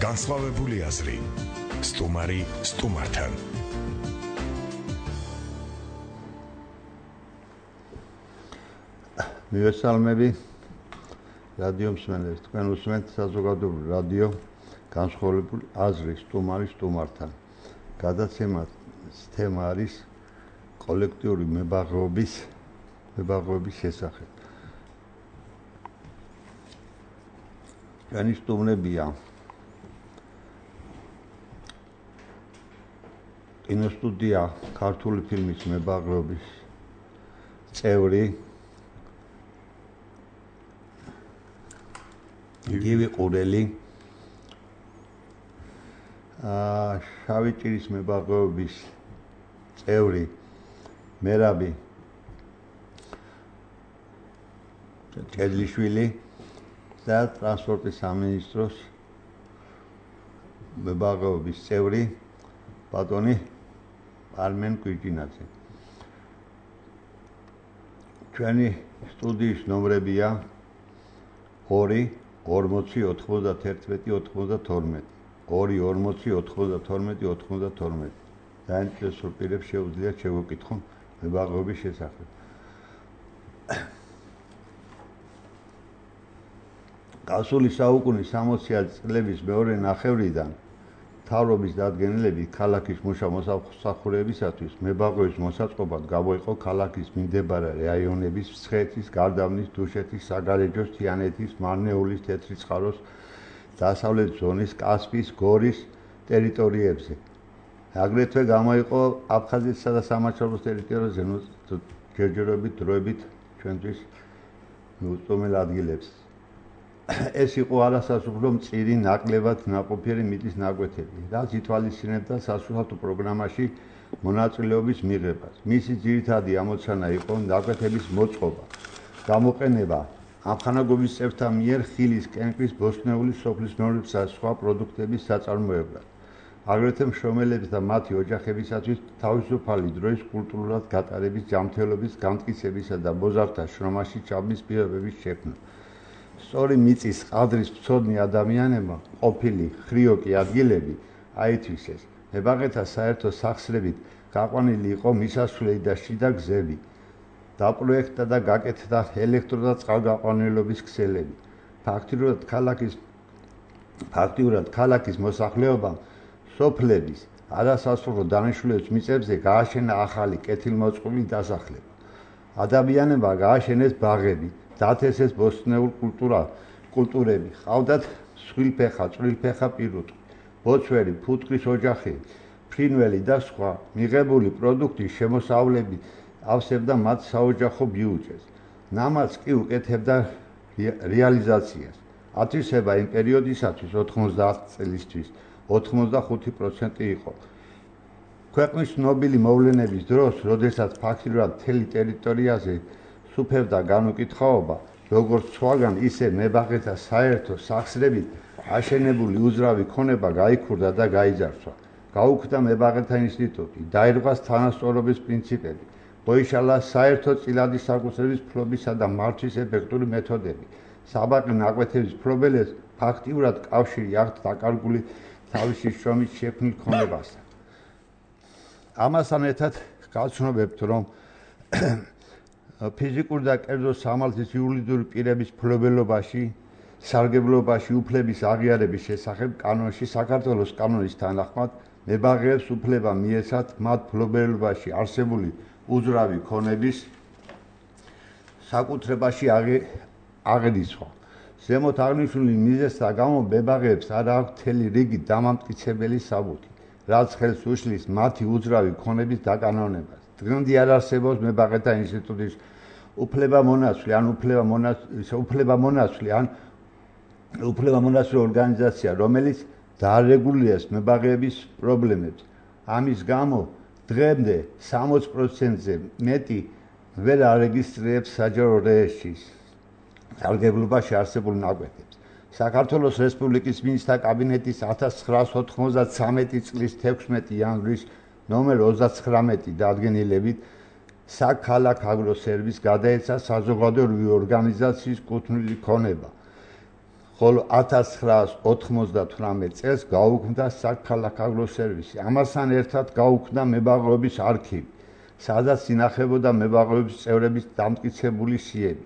განსხვავებული აზრი. სტუმარი სტუმართან. მივესალმები რადიო მსმენელს. თქვენ უსმენთ საზოგადოებრივ რადიო განსხვავებული აზრი სტუმარი სტუმართან. გადაცემას თემა არის კოლექტიური მებაღეობის შესახებ. ჩვენი სტუმრებია კინოსტუდია ქართული ფილმის მებაღეობის წევრი გივი ყურელი, შავი ჭირის მებაღეობის წევრი მერაბი ჭედლიშვილი და ტრანსპორტის სამინისტროს მებაღეობის წევრი ბატონი არმენ კვიჭინაძე. ჩვენი სტუდიის ნომრებია 2 40 91 92 2 40 92 92. დაინტერესებულ პირებს შეუძლიათ შევეკითხონ მებაღეობის შესახებ. გასული საუკუნის 60 წლების მეორე ნახევრიდან მთავრობის დადგენილებით ქალაქის მუშა მოსამსახურეებისათვის მებაღეობის მოსაწყობად გამოიყო ქალაქის მიმდებარე რაიონების მცხეთის, გარდაბნის, დუშეთის, საგარეჯოს, თიანეთის, მარნეულის, თეთრიწყაროს, დასავლეთ ზონის, კასპიის, გორის ტერიტორიებზე. აგრეთვე გამოიყო აფხაზეთსა და სამაჩაბლოს ტერიტორიაზე ჯერჯერობით დროებით ჩვენთვის მიუწვდომელ ადგილებს. ეს იყო არასასურველი მწირი ნაკლებად ნაყოფიერი მიწის ნაკვეთები, რაც ითვალისწინებდა სასურსათო პროგრამაში მონაწილეობის მიღებას. მისი ძირითადი ამოცანა იყო ნაკვეთების მოწყობა, გამოყენება ამხანაგობის წევრთა მიერ ხილის, კენკრის, ბოსტნეულის, სოფლის მეურნეობისა და სხვა პროდუქტების საწარმოებლად. აგრეთვე მშრომელების და მათი ოჯახებისათვის თავისუფალი დროის კულტურულად გატარების, ჯანმრთელობის, განმტკიცებისა და მოზარდთა შრომაში ჩაბმის პირობების შექმნა. სწორი მიწის ყადრის მცოდნე ადამიანებმა ყოფილი ხრიოკი ადგილები აითვისეს. მებაღეთა საერთო სახსრებით გაყვანილი იყო მისასვლელი და შიდა გზები. დაპროექტდა და გაკეთდა ელექტრო და წყალგაყვანილობის ქსელები. ფაქტიურად ქალაქის მოსახლეობამ სოფლების არასასურველ დანიშნულების მიწებზე გააშენა ახალი კეთილმოწყობილი დასახლება. ადამიანებმა გააშენეს ბაღები, დათესეს ბოსტნეულ კულტურები, ჰყავდათ სხვილფეხა, წვრილფეხა პირუტყვი, ბოცვერი, ფუტკრის ოჯახი, ფრინველი და სხვა. მიღებული პროდუქტის შემოსავლები ავსებდა მათ საოჯახო ბიუჯეტს. ნამაც კი უკეთებდა რეალიზაციას. ათვისება იმ პერიოდისათვის 90 წლისთვის 85% იყო. ქვეყნის ცნობილი მოვლენების დროს, როდესაც ფაქტიურად მთელი ტერიტორიაზე სუფევდა განუკითხაობა, როგორც სხვაგან, ისე მებაღეთა საერთო სახსრებით აშენებული უძრავი ქონება გაიქურდა და გაიძარცვა. გაუქმდა მებაღეთა ინსტიტუტი, დაირღვას თანასწორობის პრინციპები, მოიშალა საერთო წილადის საკუთრების ფლობისა და მართვის ეფექტური მეთოდები. საბაყი ნაკვეთების მფლობელებს ფაქტიურად კავშირი აქვთ დაკარგული თავისი შრომის შექმნილ ქონებასთან. ამასთან ერთად გავცნობებთ, რომ ფიზიკური და კერძო სამართლის იურიდიული პირების მფლობელობაში, სარგებლობაში უფლების აღიარების შესახებ კანონში, საქართველოს კანონის თანახმად, მებაღეებს უფლება მიეცათ მათ მფლობელობაში არსებული უძრავი ქონების საკუთრებაში აღერიცხვა. ზემოთ აღნიშნული მიზეზთა გამო მებაღეებს არ აქვთ მთელი რიგი დამამტკიცებელი საბუთი, რაც ხელს უშლის მათი უძრავი ქონების დაკანონებას. დღემდე არ არსებობს მებაღეთა ინსტიტუტის უფლებამონაცვლი ან უფლებამონაცვლი ორგანიზაცია, რომელიც დაარეგულირებს მებაღეების პრობლემებს. ამის გამო დღემდე 60%-ზე მეტი ვერ არეგისტრირებს საჯარო რეესტრში სარგებლობაში არსებულ ნაკვეთებს. საქართველოს რესპუბლიკის მინისტრთა კაბინეტის 1993 წლის 16 იანვრის ნომერ 39 დადგენილებით საქალაქო აგროსერვისს გადაეცა საზოგადოებრივი ორგანიზაციის კუთვნილი ქონება. ხოლო 1998 წელს გაუქმდა საქალაქო აგროსერვისი. ამასთან ერთად გაუქმდა მებაღეობის არქივი, სადაც ინახებოდა მებაღეობის წევრების დამტკიცებული სიები,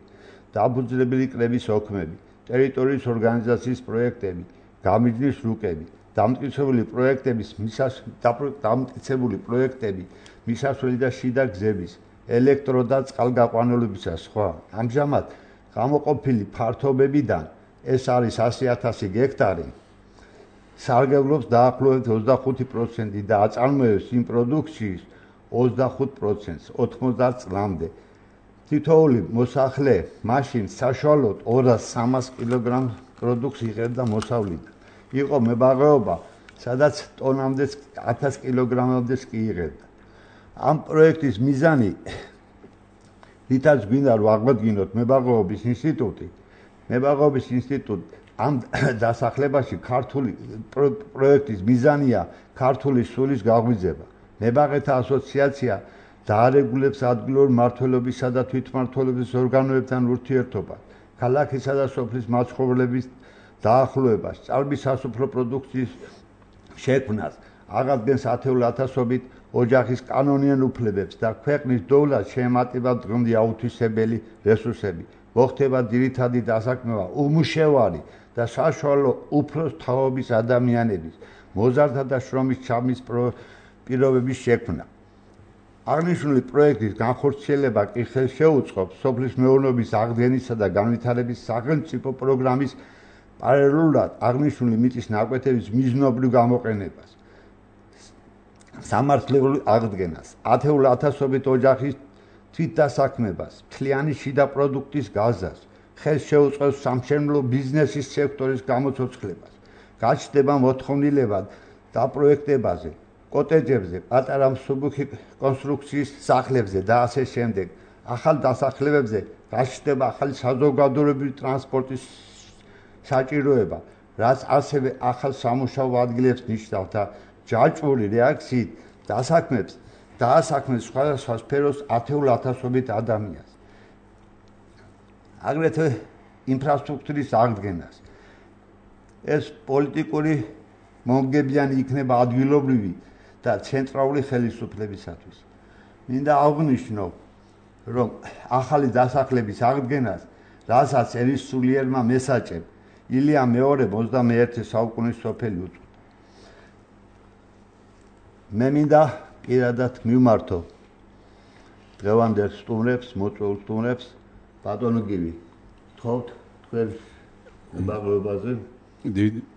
დაფუძნებელი კრების ოქმები, ტერიტორიის ორგანიზაციის პროექტები, გამიჯნის რუკები, დამტკიცებული პროექტები, მისასვლელი და შიდა გზების, ელექტრო და წყალგაყვანილობისა და სხვა. ამჟამად გამოყოფილი ფართობებიდან ეს არის 100,000 გექტარი, სარგებლობს დაახლოებით 25% და აწარმოებს იმ პროდუქციის 25%-ს 90 წლამდე. თითოეული მოსახლე მაშინ საშუალოდ 200-300 კილოგრამ პროდუქტს იღებდა მოსავლიდან. იყო მებაღეობა, სადაც ტონამდე 1000 კილოგრამამდეც კი იღებდა. ამ პროექტის მიზანი, რითაც გვინდა რომ აღვადგინოთ მებაღეობის ინსტიტუტი, ამ დასახლებაში ქართული პროექტის მიზანია ქართული სულის გაღვიძება. მებაღეთა ასოციაცია დაარეგულებს ადგილობრივ მმართველობისა და თვითმმართველობის ორგანოებთან ურთიერთობას, ქალაქისა და სოფლის მაცხოვრებლების დაახლოებას, ჭარბის სასოფლო პროდუქციის შექმნას, აღადგენს ათეულათასობით ოჯახის კანონიან უფლებებს და ქვეყნის დოვლას შეემატება დღემდე აუთვისებელი რესურსები. მოხდება ძირითადი დასაქმება უმუშევარი და საშუალო უფროს თაობის ადამიანების, მოზარდთა და შრომის ჩაბმის პირობების შექმნა. აღნიშნული პროექტის განხორციელება კი ხელს შეუწყობს სოფლის მეურნეობის აღდგენისა და განვითარების სახელმწიფო პროგრამის პარალელურად აღნიშნული მიწის ნაკვეთების მიზნობრივ გამოყენებას, სამართლებრივ აღდგენას, ათეულათასობით ოჯახის თვითდასაქმებას, მთლიანი შიდა პროდუქტის გაზას, ხელს შეუწყობს სამშენებლო ბიზნესის სექტორის გამოცოცხლებას, გაჩნდება მოთხოვნილება დაპროექტებაზე, კოტეჯებზე, პატარა მსუბუქი კონსტრუქციის სახლებზე და ასე შემდეგ. ახალ დასახლებებზე გაჩნდება ახალი საზოგადოებრივი ტრანსპორტის საჭიროება, რაც ასევე ახალ სამუშაო ადგილებს ნიშნავს და ჯაჭვური რეაქციით დაასაქმებს სხვადასხვა სფეროს ათეულათასობით ადამიანს. აგრეთვე ინფრასტრუქტურის აღდგენას. ეს პოლიტიკური მომგებიანი იქნება ადგილობრივი და ცენტრალური ხელისუფლებისათვის. მინდა აღვნიშნო, რომ ახალი დასახლების აღდგენას, რასაც ერის სულიერმა მესაჭებ ილია მეორემ 21 საუკუნის სოფელი უწოდა. მე მინდა პირადად მივმართო დღევანდელ სტუმრებს, მოწვეულ სტუმრებს, ბატონო გივი, თხოვთ თქვენ მებაღეობაზე.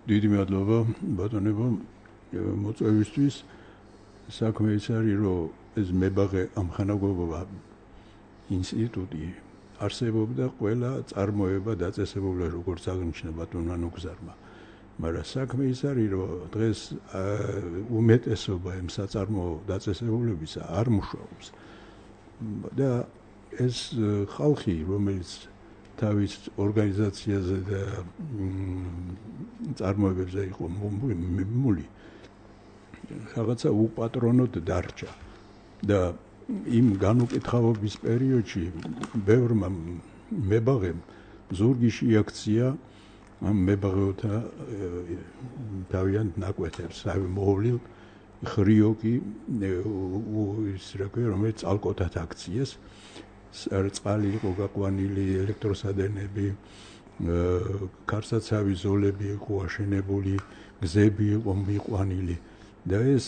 დიდი მადლობა ბატონებო მოწვევისთვის. საქმე ის არის, რომ ეს მებაღე ამხანაგობა ინსტიტუტი არსებობდა ყველა წარმოება დაწესებულა, როგორც აღნიშნა ბატონმა ნუგზარმა. მაგრამ საქმე ის არის, რომ დღეს უმეტესობა იმ საწარმოო დაწესებულებისა არ მუშაობს. და ეს ხალხი, რომელიც თავის ორგანიზაციაზე და წარმოებებზე იყო მიმული, რაღაცა უპატრონოდ დარჩა და იმ განუკითხავობის პერიოდში ბევრმა მებაღემ ზურგი შეაქცია ამ მებაღეთა თავიანთ ნაკვეთებს, მოვლილ ხრიოკი ის რა ქვია, რომელიც ალკოტად აქციეს, წყალი იყო გაყვანილი, ელექტროსადენები, კარსაცავი ზოლები იყო აშენებული, გზები იყო მიყვანილი და ეს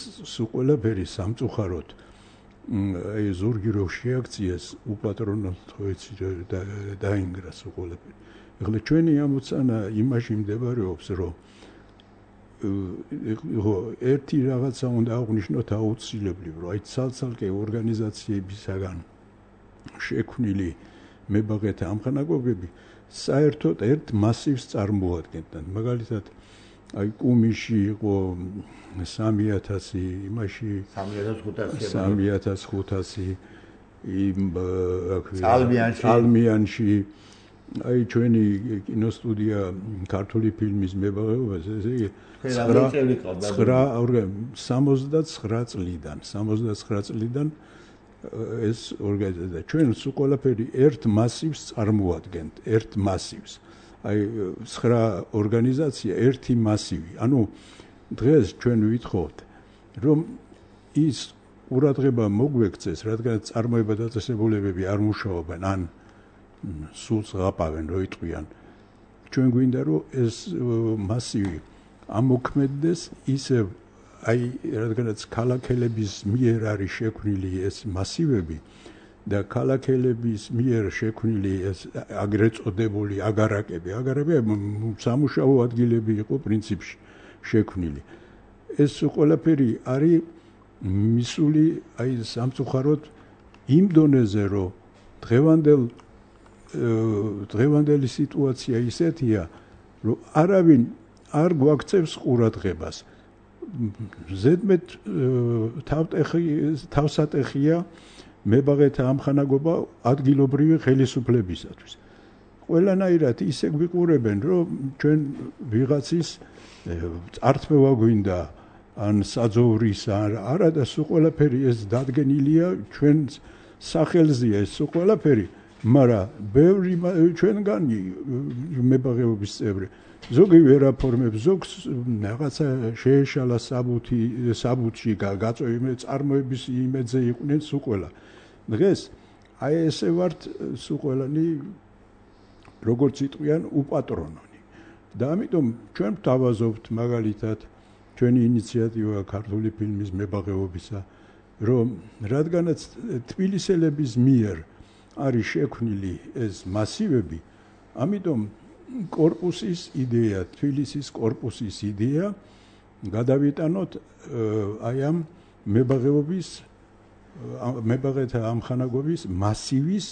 ყველაფერი სამწუხაროდ აი ზურგი რო შეაქციეს უპატრონოდ დაინგრა ყველაფერი. ეხლა ჩვენი ამოცანა იმაში მდებარეობს, რომ ერთი რაღაცა უნდა აღვნიშნოთ აუცილებლად, რომ აი ცალ-ცალკე ორგანიზაციებისაგან შექმნილი მებაღეთა ამხანაგობები საერთოდ ერთ მასივს წარმოადგენდნენ. მაგალითად, აი კუმიში იყო 3000, იმაში 3500, იმ წალმიანში, აი ჩვენი კინოსტუდია ქართული ფილმის მებაღეობაზე, ესე იგი 69 წლიდან ეს ორგანიზაცია ჩვენ სულ ყველაფერი ერთ მასივს წარმოადგენთ, ერთ მასივს. აი 9 ორგანიზაცია ერთი მასივი. ანუ დღეს ჩვენ ვითხოვთ რომ ის ყურადღება მოგვექცეს, რადგან წარმოება დაწესებულებები არ მუშაობენ, ან სულს ღაპავენ, რო იტყვიან. ჩვენ გვინდა რომ ეს მასივი ამოქმედდეს ისევ აი რადგანაც ქალაქელების მიერ არის შექმნილი ეს მასივები და ქალაქელების მიერ შექმნილი ეს აგრეთ წოდებული აგარაკები სამუშაო ადგილები იყო პრინციპში შექმნილი. ეს ყველაფერი არის მისული აი სამწუხაროდ იმ დონეზე, რომ დღევანდელი სიტუაცია ისეთია, რომ არავინ არ გვაქცევს ყურადღებას. ზედმეტ თავსატეხია მებაღეთა ამხანაგობა ადგილობრივი ხელისუფლებისათვის. ყველანაირად ისე გვიყურებენ, რომ ჩვენ ვიღაცის წართმევა გვინდა ან საძოვრის არა და სულ ყველაფერი ეს დადგენილია ჩვენ სახელზეა ეს სულ ყველაფერი, მაგრამ ბევრი ჩვენგანი მებაღეობის წევრი ზოგი ვერ აფორმებს, ზოგს რაღაცა შეეშალა საბუთში გაწევი წარმოების იმედზე იყვნენ სულ ყველა. დღეს აი ესე ვართ სულ ყველანი როგორც იტყვიან უპატრონონი. და ამიტომ ჩვენ ვთავაზობთ მაგალითად ჩვენი ინიციატივა ქართული ფილმის მებაღეობისა, რომ რადგანაც თბილისელების მიერ არის შექმნილი ეს მასივები, ამიტომ კორპუსის იდეა, თბილისის კორპუსის იდეა გადავიტანოთ აი ამ მებაღეთა ამხანაგობის მასივის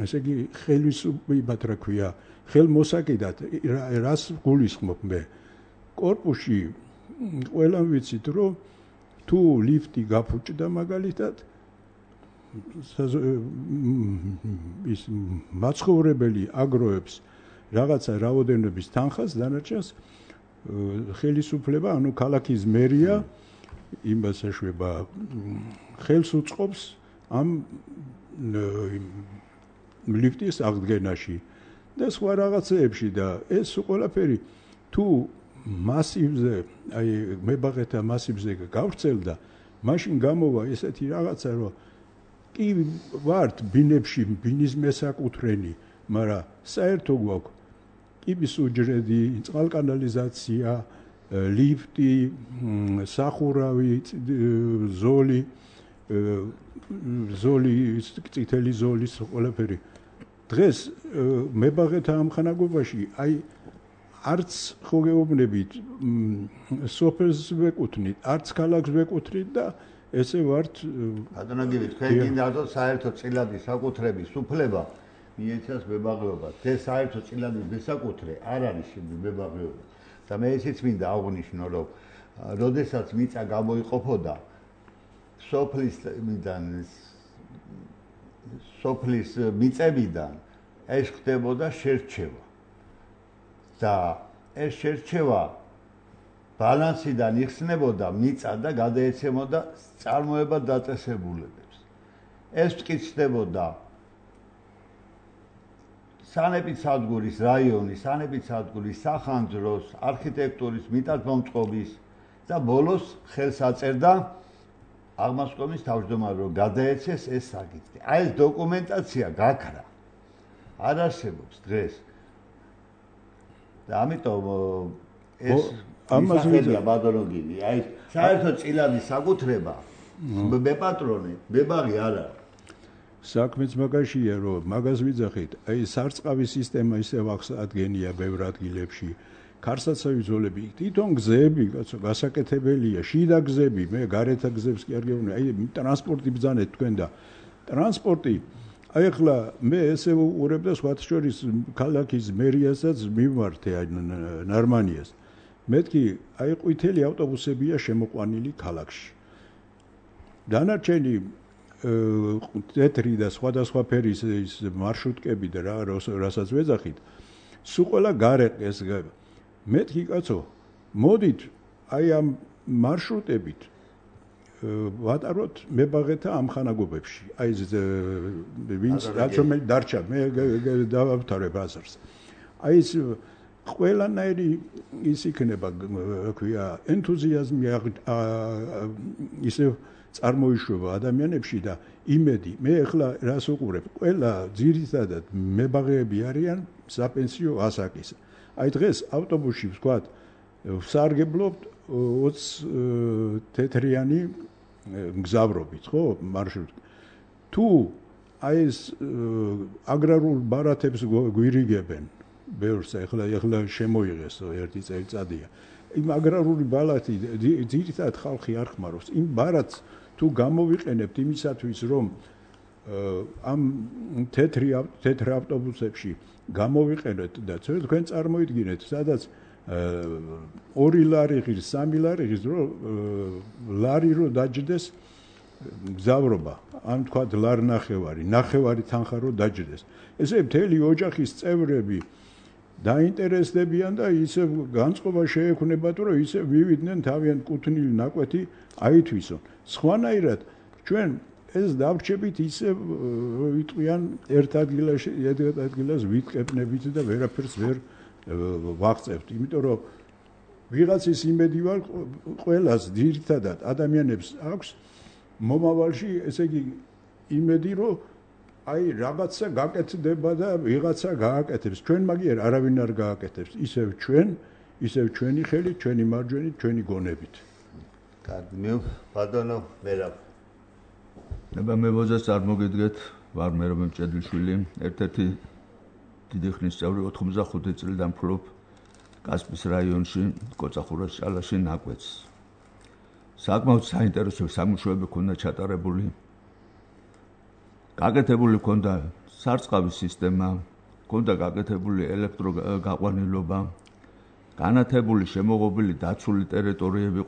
ესე იგი ხელისუფლებად რა ქვია, ხელმოსაკიდად რას გულისხმობ მე? კორპუსში ყველამ ვიცით, რომ თუ ლიფტი გაფუჭდა მაგალითად ის მაცხოვრებელი აგროებს რაღაცა რაოდენობის თანხას, დანარჩენს ხელისუფლება, ანუ ქალაქის მერია იმას ეშვება, ხელს უწყობს ამ ლიფტის აღდგენაში და სხვა რაღაცეებში და ეს ყველაფერი თუ მასივზე, აი მებაღეთა მასივზე გავრცელდა, მაშინ გამოვა ესეთი რაღაცა, რომ კი ვართ ბინებში, ბინის მესაკუთრენი, მაგრამ საერთო გვაქვს კიბის უჯრედი, წყალკანალიზაცია, ლიფტი, სახურავი, ზოლი, წითელი ზოლის ყველაფერი. დღეს მებაღეთა ამხანაგობაში აი არც ხო გეუბნებით სოფელს ვეკუთვნით, არც ქალაქს ვეკუთვნით და ესე ვართ ბატონო, თქვენ გინდათ საერთო წილადის საკუთრების უფლება მიეცას მებაღეობას. ეს საერთო წილადის მესაკუთრე არ არის მებაღეობა. და მე ისიც მინდა აღვნიშნო, რომ როდესაც მიწა გამოიყოფოდა სოფლის მიწებიდან ეს ხდებოდა შერჩევა. და ეს შერჩევა ბალანსიდან იხსნებოდა მიწა და გადაეცემოდა წარმოება დაწესებულებებს. ეს მტკიცდებოდა სანეპიდსადგურის რაიონის, სანეპიდსადგურის სახანძროს, არქიტექტურის, მიწათმომწყობის და ბოლოს ხელს აწერდა აღმასკომის თავმჯდომარე, რომ გადაეცეს ეს საკითხი. აი ეს დოკუმენტაცია გაქრა. არ არსებობს დღეს. და ამიტომ ეს ამაზეა ბადროგინი, აი საერთო წილადის საკუთრება მეპატრონე, მებაღი არ არის. საქმეც მაგაშია, რომ მაგას ვიძახით, აი სარწყავის სისტემა ისევ აღსადგენია ბევრ ადგილებში. ქარსაცავი ზოლები, თვითონ გზები, კაცო, გასაკეთებელია, შიდა გზები, მე გარეთა გზებს კი არ გეუბნები, აი ტრანსპორტი ბრძანეთ თქვენ და ტრანსპორტი აი ახლა მე ესე ვუყურებ და სხვათა შორის ქალაქის მერიასაც მივმართე აი ნარმანიას. მეთქი აი ყვითელი ავტობუსებია შემოყვანილი ქალაქში. დანარჩენი თეთრი და სხვადასხვა ფერის ის მარშრუტკები და რასაც ვეძახით, სულ ყველა გარეკეს. მეთქი კაცო, მოდით აი ამ მარშრუტებით ვატაროთ მებაღეთა ამხანაგობებში. აი ეს ვინც რაც რომელიც დარჩა მე დავავთავრებ აზრს. აი ეს ყველანაირი ის იქნება, ქვია, ენთუზიაზმი ისე წარმოიშვება ადამიანებში და იმედი. მე ახლა რას უყურებ? ყველა ძირითადად მებაღეები არიან საპენსიო ასაკის. აი დღეს ავტობუსში ვთქვათ, ვსარგებლობთ 20 თეთრიანი მგზავრობით, ხო, მარშრუტი. თუ აი ეს აგრარულ ბარათებს გვირიგებენ, ბევრს ახლა შემოიღეს ერთი წელიწადია. იმ აგრარული ბარათი ძირითადად ხალხი არ ხმარობს. იმ ბარათს თუ გამოვიყენებთ იმისათვის, რომ ამ თეთრ ავტობუსებში გამოვიყენეთ და თქვენ წარმოიდგინეთ, სადაც 2 ლარი ღირს, 3 ლარი ღირს, რომ ლარი რო დაჯდეს მგზავრობა, ან თქვათ ლარ ნახევარი თანხა რო დაჯდეს. ესე მთელი ოჯახის წევრები დაინტერესდებიან და ისე განწყობა შეექმნებათ, რომ ისე მივიდნენ თავიანთ კუთვნილი ნაკვეთი აითვისონ. სხვანაირად ჩვენ ეს დავრჩებით ისე ვიტყვიან ერთ ადგილას ვიტყებნებით და ვერაფერს ვერ ვაღწევთ, იმიტომ რომ ვიღაცის იმედი ვარ ყველას ძირითადად ადამიანებს აქვს მომავალში, ესე იგი იმედი, რომ აი რაღაცა გაკეთდება და ვიღაცა გააკეთებს. ჩვენ მაგიერ არავინ არ გააკეთებს, ისევ ჩვენი ხელით, ჩვენი მარჯვენით, ჩვენი გონებით. კარგი, მე ბატონო მერაბ. ნება მე ვოზას არ მოგედგეთ, ვარ მერაბ მჭედლიშვილი, ერთ-ერთი დიდი ხნის წევრი 85 წლიდან ფლობ კასპის რაიონში, კოწახურას ჭალაში ნაკვეთს. საკმაოდ საინტერესო სამუშაოები ქონდა ჩატარებული. გაკეთებული ქონდა სარწყავის სისტემა, ქონდა გაკეთებული ელექტროგაყვანილობა, განათებული შემოღობილი დაცული ტერიტორიები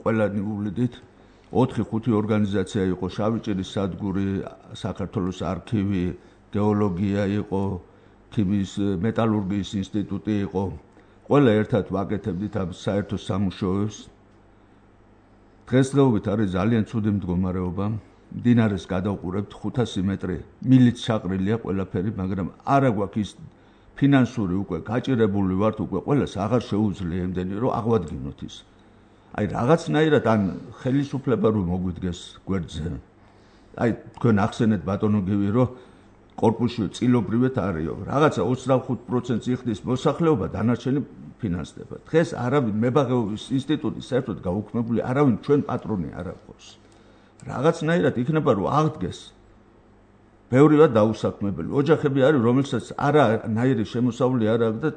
ყველა ნიულით 4-5 ორგანიზაცია იყო, შავიჭირის სადგური, საქართველოს არქივი, გეოლოგია იყო, ქიმიის მეტალურგიის ინსტიტუტი იყო. ყველა ერთად ვაკეთებდით ამ საერთო სამუშაოებს. დღესდღეობით არის ძალიან ცუდი მდგომარეობა. მდინარეს გადავყურებთ 500 მეტრი, მილით ჩაყრილია ყველაფერი, მაგრამ არა გვაქვს ის ფინანსური უკვე გაჭირებული ვართ, უკვე ყველას აღარ შეუძლია იმდენი, რომ აღვადგინოთ ის. აი რაღაცნაირად ან ხელისუფლება რომ მოგვიდგეს გვერდზე. აი თქვენ ახსენეთ ბატონო გივი, რომ კორპუსში წილობრივად არისო. რაღაცა 25% იხდის მოსახლეობა, დანარჩენი ფინანსდება. დღეს არავინ მებაღეობის ინსტიტუტი საერთოდ გაუქმებული, არავინ ჩვენ პატრონი არ აქვს. რაღაცნაირად იქნება რომ აღდგეს. ბევრივად დაუსაქმებელი. ოჯახები არის, რომელსაც არანაირი შემოსავლი არ აქვს და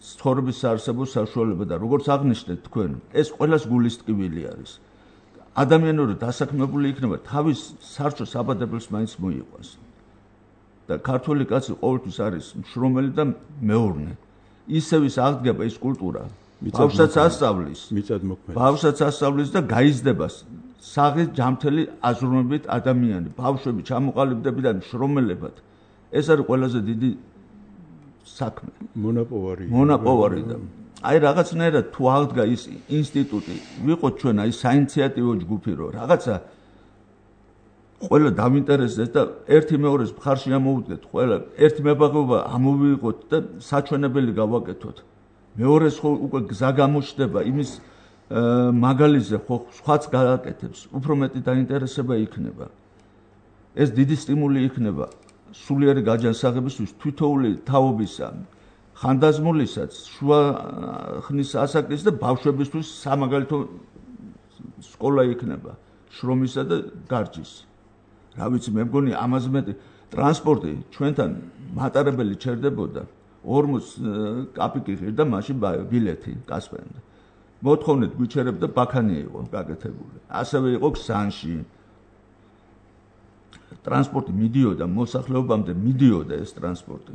ცხოვრების საარსებო საშუალება და როგორც აღნიშნეთ თქვენ, ეს ყველას გულის ტკივილი არის. ადამიანური დასაქმებული იქნება თავის სარჩო საბადებელს მაინც მოიყვანს. და ქართული კაცი ყოველთვის არის მშრომელი და მეურნე. ისევ ის აღდგება ის კულტურა. ბავშვსაც ასწავლის და გაიზრდება საღი ჯამთელი აზროვნებით ადამიანი, ბავშვები ჩამოყალიბდებიან მშრომელებად. ეს არის ყველაზე დიდი საქმე. მონაპოვარი და აი რაღაცნაირად თუ აღდგა ის ინსტიტუტი, ვიყოთ ჩვენ აი საინიციატივო ჯგუფი, რომ რაღაცა ყველა დავინტერესდეს და ერთი მეორეს მხარში ამოვუდგეთ, ყველა ერთი მებაღეობა ამოვიღოთ და საჩვენებელი გავაკეთოთ. მეორეს ხო უკვე გზა გამოჩნდება იმის მაგალიზე ხო სხვაც გააკეთებს, უფრო მეტი დაინტერესება იქნება. ეს დიდი სტიმული იქნება სულიერი გაჯანსაღებისთვის თვითოული თაობისა, ხანდაზმულისაც, შუა ხნის ასაკის და ბავშვებისთვის სამაგალითო სკოლა იქნება, შრომისა და გარჯის. რა ვიცი, მე მგონი ამაზე მეტი ტრანსპორტი ჩვენთან მატარებელი ჩერდებოდა 40 კაპიკი ღირდა მაშინ ბილეთი კასპენდა. მოთხოვნით გვიჩერებდა ბაქანი იყო გაკეთებული. ასევე იყო ქსანში. ტრანსპორტი მიდიოდა მოსახლეობამდე, მიდიოდა ეს ტრანსპორტი.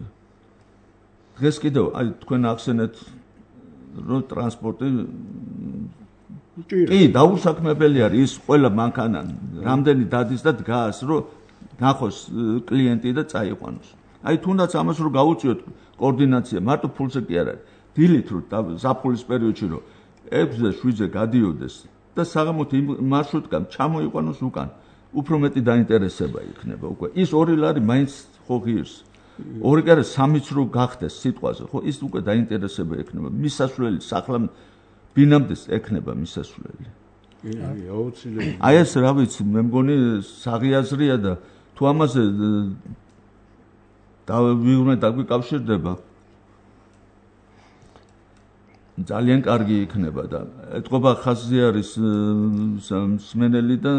დღეს კიდევ აი თქვენ ახსენეთ რომ ტრანსპორტი კი დაუსაქმებელი არის ის ყველა მანქანა რამდენი დადის და დგას რომ ნახოს კლიენტი და წაიყვანოს. აი თუნდაც ამას რომ გაუწიოთ კოორდინაცია მარტო ფულზე კი არ არის. დილით რომ ზაფხულის პერიოდში რომ 6-ზე 7-ზე გადიოდეს და საღამოთი მარშრუტკამ ჩამოიყვანოს უკან. უფრო მეტი დაინტერესება იქნება უკვე. ის 2 ლარი მაინც ხო ღირს. 2 კი არა 3-იც რო გახდეს სიტყვაზე, ხო ის უკვე დაინტერესება ექნება. მისასვლელი სახლა ბინამდეს ექნება მისასვლელი. აუცილებლად. აი ეს რა ვიცი, მე მგონი საღიაზრია და თუ ამაზე დავიურმე დაგვიკავშირდება ძალიან კარგი იქნება და ეთყობა ხაზი არის მსმენელი და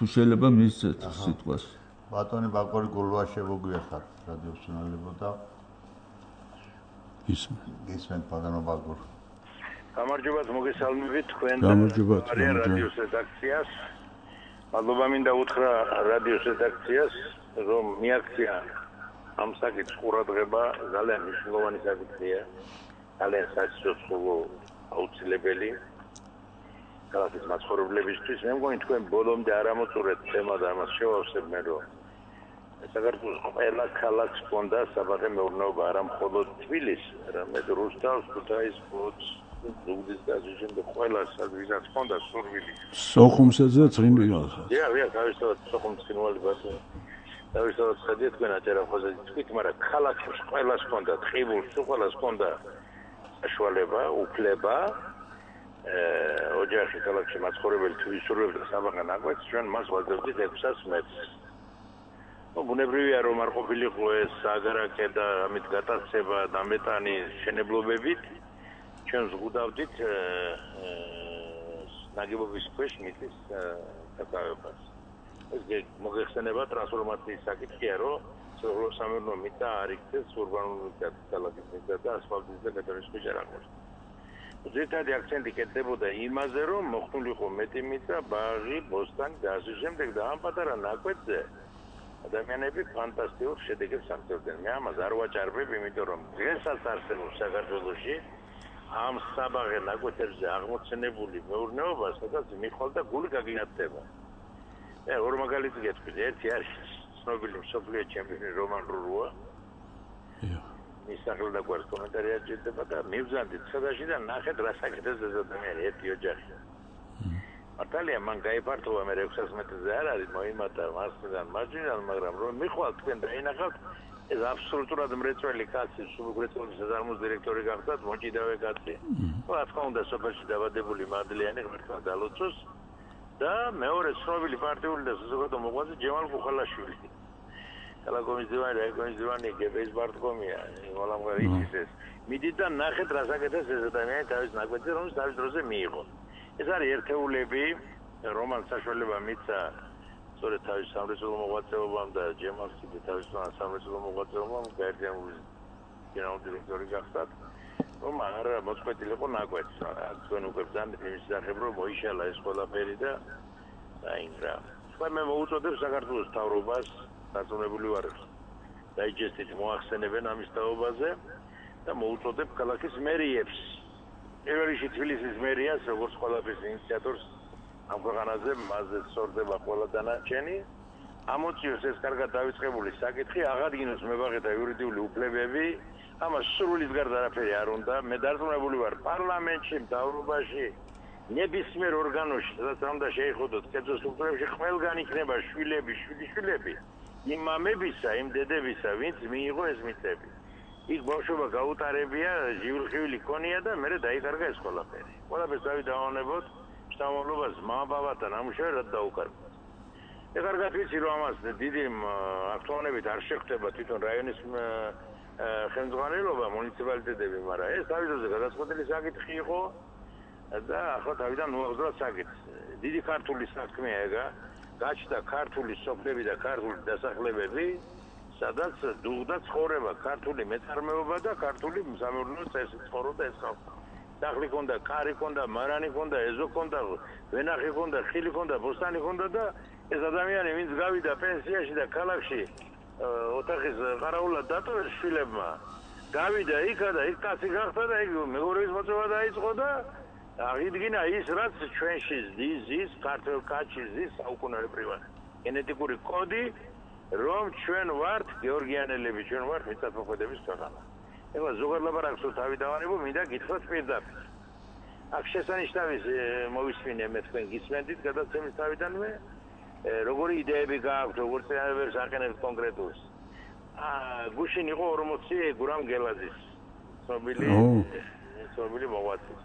თუ შეიძლება მისცეთ სიტყვას. ბატონი ბაკური გულვა შემოგვიახარ რადიო სუნალებო და ისმენ ბატონო ბაკურ. გამარჯობათ მოგესალმებით თქვენ გამარჯობათ რადიოს რედაქციას. მადლობა მინდა უთხრა რადიოს რედაქციას რომ მიაქცია ამ საკითხს ყურადღება ძალიან მნიშვნელოვანი საკითხია. ძალიან საცოცხლო აუცილებელი ქალაქის მაცხოვრებლებისთვის. მე მგონი თქვენ ბოლომდე არ ამოწურეთ თემა და ამას შევავსებ მე რომ საქართველოს ყველა ქალაქს ჰქონდა საბაღე მეურნეობა არა მხოლოდ თბილისს, არამედ რუსთავს, ქუთაისს, ფოთს, ზუგდიდს და ასე შემდეგ ყველა სადღაც ჰქონდა სურვილი. სოხუმსა წრინვალს. თავისთავად სოხუმის წრინვალი ბატონო. თავისთავად ხედავთ თქვენ აჭარაფხაზე თქვით, მაგრამ ქალაქს ყველას ჰქონდა, ტყიბულს ყველას ჰქონდა საშუალება, უფლება ოჯახი ქალაქში მაცხოვრებელი თუ ისურვებდა საბაღე ნაკვეთს, ჩვენ მას ვაძლევდით 600 მეტრს. ბუნებრივია რომ არ ყოფილიყო ეს აგარაკე და ამით გატაცება და მეტანი შენებლობებით, ჩვენ ზღუდავდით ნაგებობის ქვეშ მიწის დაკავებას. ეს მოგეხსენება ტრანსფორმაციის საკითხია, რომ სამეურნეო მიწა არ იქცეს ურბანული ქალაქის მიწა და ასფალტის და ბეტონის ქვეშ არ აღმოჩნდა. ძირითადი აქცენტი კეთდებოდა იმაზე, რომ მოხდულიყო მეტი მიწა, ბაღი, ბოსტანი და ასე შემდეგ და ამ პატარა ნაკვეთზე ადამიანები ფანტასტიკურ შედეგებს აღწევდნენ. მე ამას არ ვაჭარბებ, იმიტომ რომ დღესაც არსებობს საქართველოში ამ საბაღე ნაკვეთებზე აღმოცენებული მეურნეობა, სადაც მიხვალ და გული გაგინათდება. მე ორ მაგალითი გეტყვით, ერთი არის ცნობილი მსოფლიო ჩემპიონი რომან რურუა. მის სახელს და გვერდ კომენტარი აჭირდება და მივზანდით სადაში და ნახეთ რა საკეთებს ეს ადამიანი ერთი ოჯახი. მართალია მან გაიფართოვა მე 600 მეტრზე არ არის მოიმატა მასიდან მარჯვნიდან, მაგრამ რომ მიხვალ თქვენ დაინახავთ ეს აბსოლუტურად მრეწველი კაცი, სულუგრეწოლის საზარმოს დირექტორი გახდათ, მოჭიდავე კაცი. რა თქმა უნდა სოფელში დაბადებული მადლიანი ღმერთმა დალოცოს და მეორე ცნობილი პარტიული და საზოგადო მოღვაწე ჯემალ ხუხალაშვილი. კალაკომის დივანი, რაიკომის დივანი, გებეის ბარტკომია, მოლამღარი იცის ეს. მიდით და ნახეთ რა საკეთებს ეს ადამიანი თავის ნაკვეთზე, რომელიც თავის დროზე მიიღო. ეს არის ერთეულები, რომან საშუალება მისცა სწორედ თავის სამრეწველო მოღვაწეობამ და ჯემალს კიდე თავის სამრეწველო მოღვაწეობამ გაერთიანებული გენერალური დირექტორი გახდათ, რომ არ მოწყვეტილიყო ნაკვეთს. თქვენ უკვე ბრძანდით იმის შესახებ, რომ მოიშალა ეს ყველაფერი და დაინგრა. თქვენ მე მოუწოდებ საქართველოს მთავრობას დაწუნებული ვარ დაიჯესტით მოახსენებენ ამის თაობაზე და მოუწოდებ ქალაქის მერიებს. პირველ რიგში თბილისის მერიას, როგორც ყველაფრის ინიციატორს ამ ქვეყანაზე მასზე სწორდება ყველა დანარჩენი. ამოწიოს ეს კარგად დავიწყებული საკითხი, აღადგინოს მებაღეთა იურიდიული უფლებები. ამას სრულის გარდა არაფერი არ უნდა. მე დარწმუნებული ვარ პარლამენტში, მთავრობაში, ნებისმიერ ორგანოში, სადაც არ უნდა შეიხოდოთ კერძო სტრუქტურებში, ყველგან იქნება შვილები, შვილიშვილები იმ მამებისა, იმ დედებისა, ვინც მიიღო ეს მიწები. იქ ბავშვობა გაუტარებია, ჟიურხივილი ქონია და მერე დაიკარგა ეს ყველაფერი. ყველაფერს დავიდავანებოთ შთამომავლობას მამაბაბათა ნამუშევრად დაუკარგოთ. მე კარგად ვიცი რომ ამას დიდი აქტუალობით არ შეხვდება თვითონ რაიონის ხელმძღვანელობა, მუნიციპალიტეტები, მაგრამ ეს თავიდანვე გადაწყვეტილი საკითხი იყო და ახლა თავიდან მოახდრა საკითხს. დიდი ქართული საქმეა ეგა, გაჩნდა ქართული სოფლები და ქართული დასახლებები, სადაც დუღდა ცხოვრება ქართული მეწარმეობა და ქართული სამეურნეო წესი ცხოვრობდა ეს ხალხი. დახლი ჰქონდა, კარი ჰქონდა, მარანი ჰქონდა, ეზო ჰქონდა, ვენახი ჰქონდა, ხილი ჰქონდა, ბოსტანი ჰქონდა და ეს ადამიანი ვინც გავიდა პენსიაში და ქალაქში ოთახის ყარაულად დატოვეს შვილებმა, გავიდა იქა და იქ კაცი გახდა და იქ მეურვეობის მოწვევა დაიწყო და აღიდგინა ის რაც ჩვენში ზის ქართულ კაცში ზის საუკუნეებრივად გენეტიკური კოდი რომ ჩვენ ვართ გეორგიანელები, ჩვენ ვართ მიწათმოქმედების ქვეყანა. ეხლა ზოგადად ლაპარაკს თავი დავანებო, მინდა გითხრათ პირდაპირ. აქ შესანიშნავის მოვისმინე მე თქვენ გისმენდით გადაცემის თავიდანვე როგორი იდეები გააქვთ როგორ წინააღმდეგს აყენებთ კონკრეტულს გუშინ იყო 40 გურამ გელაძის ცნობილი მოღვაწის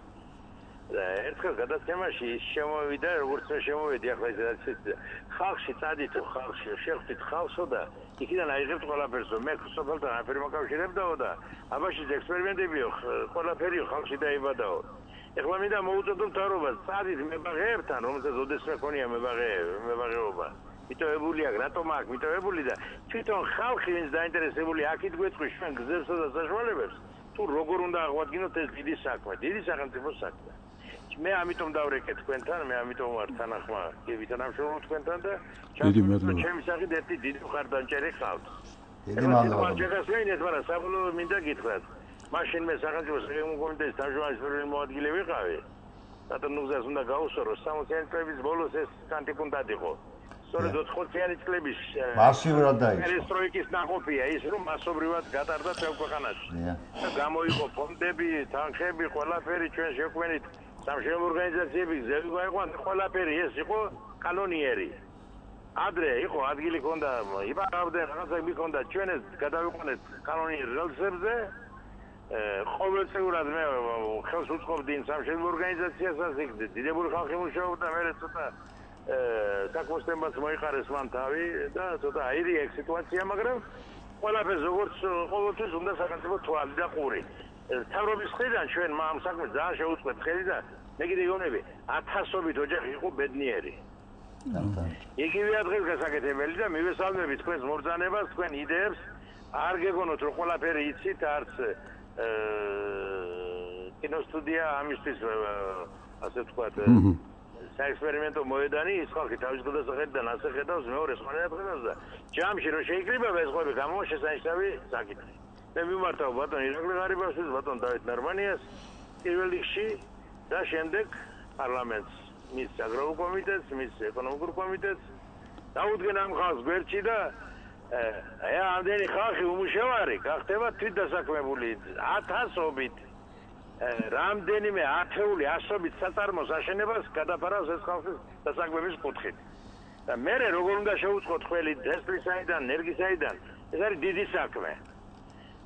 და ერთხელ გადაცემაში ის შემოვიდა როგორც მე შემოვედი ახლა ეს ხალხში წადით ხალხში შეხვდით ხალხსო და იქიდან აიღებთ ყველაფერს მე სოფელთან აფერი მოკავშირებდაო და აბაშის ექსპერიმენტებიო ყველაფერი ხალხში დაიბადაო ეხლა მინდა მოუწოდო მთავრობას წადით მებაღეებთან რომელსაც ოდესმე ქონია მებაღეობა მიტოვებული აქ რატომ აქ მიტოვებული და თვითონ ხალხი ვინც დაინტერესებული აქით გვეწყვის ჩვენ გზებსა და საშუალებებს თუ როგორ უნდა აღვადგინოთ ეს დიდი საქმე დიდი სახელმწიფო საქმე მე ამიტომ დავრეკე თქვენთან მე ამიტომ ვარ თანახმა გები თანამშრომლობ თქვენთან და ჩემი სახით ერთი დიდი მხარდამჭერი ხავთ დიდი მადლობა შეგასვენეთ მაგრამ საბოლოო მინდა გითხრათ მაშინ მე სახელმწიფო საკითხების კომიტეტის თავმჯდომარის პირველი მოადგილე ვიყავი რატომ ნუგზას უნდა გაუსწორო 60 წლების ბოლოს ეს კანტიკუნდად იყო სწორედ 80-იანი წლების მასიურად დაიწყო პერესტროიკის ნაყოფია ის რომ მასობრივად გატარდა თელ ქვეყანაში და გამოიყო ფონდები თანხები ყველაფერი ჩვენ შეგვენით სამშენებლო ორგანიზაციები გზები გაიყვანთ ყველაფერი ეს იყო კანონიერი ადრე იყო ადგილი ქონდა იბარავდნენ რაღაცა მიქონდა ჩვენ ეს გადავიყვანეთ კანონიერ რელსებზე ყოველწლიურად მე ხელს უწყობდი სამშენებლო ორგანიზაციასაც იქ დიდებული ხალხი მუშაობდა მე ცოტა საკმოსტემაც მოიყარეს მან თავი და ცოტა აირია ეგ სიტუაცია მაგრამ ყველაფერს როგორც ყოველთვის უნდა სახელმწიფო თვალი და ყური თავრობის მხრიდან ჩვენ ამ საქმეს ძალიან შეუწყეთ ხელი და მე კიდე გონები 1000-ობით ოჯახი იყო ბედნიერი. იგივეა დღეს გასაკეთებელი და მივესალმებით თქვენს მობრძანებას, თქვენ იდეებს, არ გეგონოთ რომ ყველაფერი იცით, არც კინოსტუდია ამისთვის ასე ვთქვათ საექსპერიმენტო მოედანი ის ხალხი თავის გადასახედიდან ასე ხედავს მეორე სხვანაირად ხედავს და ჯამში რომ შეიკრიბება ეს ყველაფერი გამოსშესანიშნავი საკითხი. მე მიმართავ ბატონ ირაკლი ღარიბაშვილს, ბატონ დავით ნარმანიას პირველ რიგში და შემდეგ პარლამენტს, მის აგრარულ კომიტეტს, მის ეკონომიკურ კომიტეტს დაუდგენ ამ ხალხს გვერდში და ამდენი ხალხი უმუშევარი გახდება თვითდასაქმებული 1000-ობით რამდენიმე ათეული ასობით საწარმოს აშენებას გადაფარავს ეს ხალხის დასაქმების კუთხით. და მე როგორ უნდა შევუწყოთ ყველი დესპლისაიდან, ენერგისაიდან, ეს არის დიდი საქმე.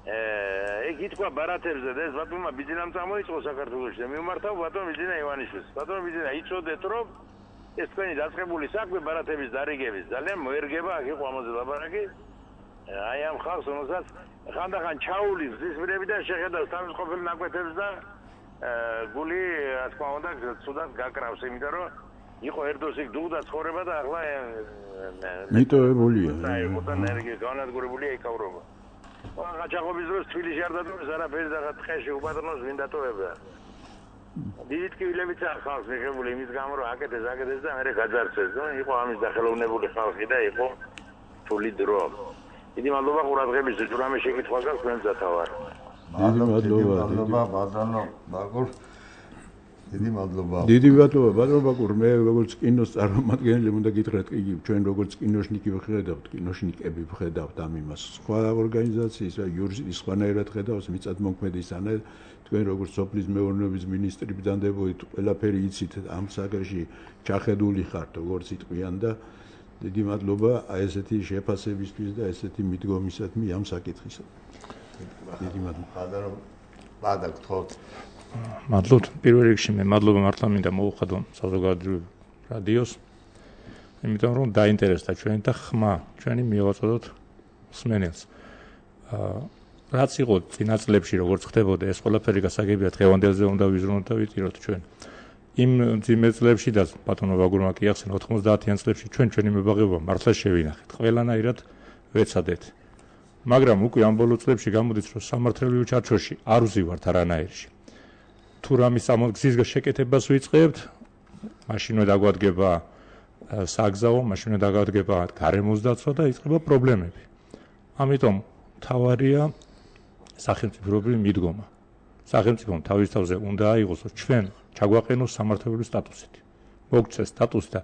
ეგ ითქვა ბარათებზე და ეს ბატონმა ბიძინამ წამოიწყო საქართველოში და მიმართავ ბატონ ბიძინა ივანიშვილს. ბატონ ბიძინა იცოდეთ რომ ეს თქვენი დაწყებული საქმე ბარათების დარიგების ძალიან მოერგება აქ იყო ამაზე ლაბარაკი. აი ამ ხალხს რომელსაც ხანდახან ჩაულის ზისმრებიდან შეხედავს თავის ყოფილ ნაკვეთებს და გული რა თქმა უნდა ცუდად გაკრავს იმიტომ რომ იყო ერდოს იქ დუღდა ცხოვრება და ახლა მიტოვებულია. აი მოთან ენერგია განადგურებულია იკავრობა. გაჩაღობის დროს თბილისში არ დადოს არაფერი და ტყეში უპატრონოს ვინ დატოვებდა. დიდი ტკივილებიც არ ხალხს მიღებული იმის გამო რომ აკეთეს და მერე გაძარცეს და იყო ამის დახელოვნებული ხალხი და იყო თული დრო. დიდი მადლობა ყურადღებისთვის თუ რამე შეკითხვა გაქვს თქვენ დათავარ. მადლობა ბატონო ბაკურ. დიდი მადლობა. დიდი მადლობა ბატონო ბაკურ მე როგორც კინოს წარმომადგენელი უნდა გითხრათ იგი ჩვენ როგორც კინოშნიკი ვხედავთ კინოშნიკები ვხედავთ ამ იმას სხვა ორგანიზაციის და იურიდიის სხვანაირად ხედავს მიწადმოქმედის ანა თქვენ როგორც სოფლის მეურნეობის მინისტრი ბრძანდებოდით ყველაფერი იცით ამ საკითხში ჩახედული ხართ როგორც იტყვიან და დიდი მადლობა აი ესეთი შეფასებისთვის და ესეთი მიდგომისადმი ამ საკითხისა. დიდი მადლობა. ბადა გთხოვთ. მადლობთ. პირველ რიგში მე მადლობა მართლა მინდა მოუხადო საზოგადოებრივ რადიოს. იმიტომ რომ დაინტერესდა ჩვენი და ხმა ჩვენი მივაწოდოთ მსმენელს. რაც იყო წინა წლებში როგორც ხდებოდა ეს ყველაფერი გასაგებია დღევანდელზე უნდა ვიზრუნოთ და ვიტიროთ ჩვენ. იმ ძიმე წლებში და ბატონო ბაგურმა კი ახსენა 90-იან წლებში ჩვენი მებაღეობა მართლა შევინახეთ. ყველანაირად ვეცადეთ. მაგრამ უკვე ამ ბოლო წლებში გამოდის რომ სამართლებრივ ჩარჩოში არ ვზივართ არანაირში. თუ რამის ამოგზის შეკეთებას ვიწყებთ, მაშინვე დაგვადგება საგზაო, მაშინვე დაგვადგება გარემოს დაცვა და იწყება პრობლემები. ამიტომ თავარია სახელმწიფოებრივი მიდგომა. სახელმწიფომ თავის თავზე უნდა აიღოს ჩვენ ჩაგვაყენოს სამართლებრივი სტატუსით. მოგცეს სტატუსი და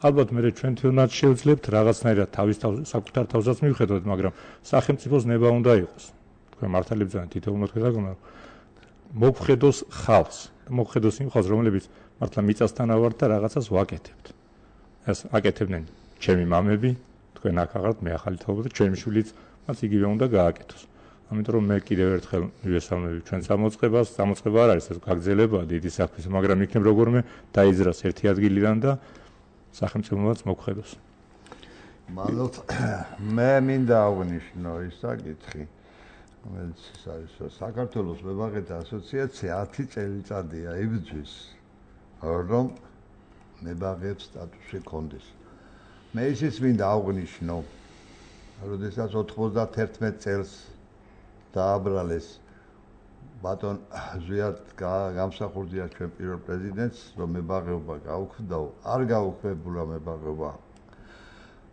ალბათ მე ჩვენ თვითონაც შევძლებთ რაღაცნაირად თავის თავზე საკუთარ თავზეც მივხედოთ, მაგრამ სახელმწიფოს ნება უნდა იყოს. თქვენ მართალი ბრძანა თითოეულ მოთხოვნა მოგხედოს ხალხს, მოგხედოს იმ ხალხს, რომლებიც მართლა მიწასთან ავართ და რაღაცას ვაკეთებთ. ეს აკეთებდნენ ჩემი მამები, თქვენ აქ აღართ, მე ახალი თაობა და ჩემი შვილიც მას იგივე უნდა გააკეთოს. ამიტომ რომ მე კიდევ ერთხელ მივესალმები ჩვენ გამოწყება არ არის ეს გაგრძელებაა დიდი საქმის, მაგრამ იქნებ როგორმე დაიძრას ერთი ადგილიდან და სახელმწიფოც მოგხედოს. მადლობთ. მე მინდა აღვნიშნო ის საკითხი, რომელიც არის საქართველოს მებაღეთა ასოციაცია 10 წელიწადია იბრძვის, რომ მებაღეებს სტატუსი ჰქონდეს. მე ისიც მინდა აღვნიშნო, როდესაც 91 წელს დააბრალეს ბატონ ზვიად გამსახურდია ჩვენ პირველ პრეზიდენტს, რომ მებაღეობა გაუქმდაო, არ გაუქმებულა მებაღეობა.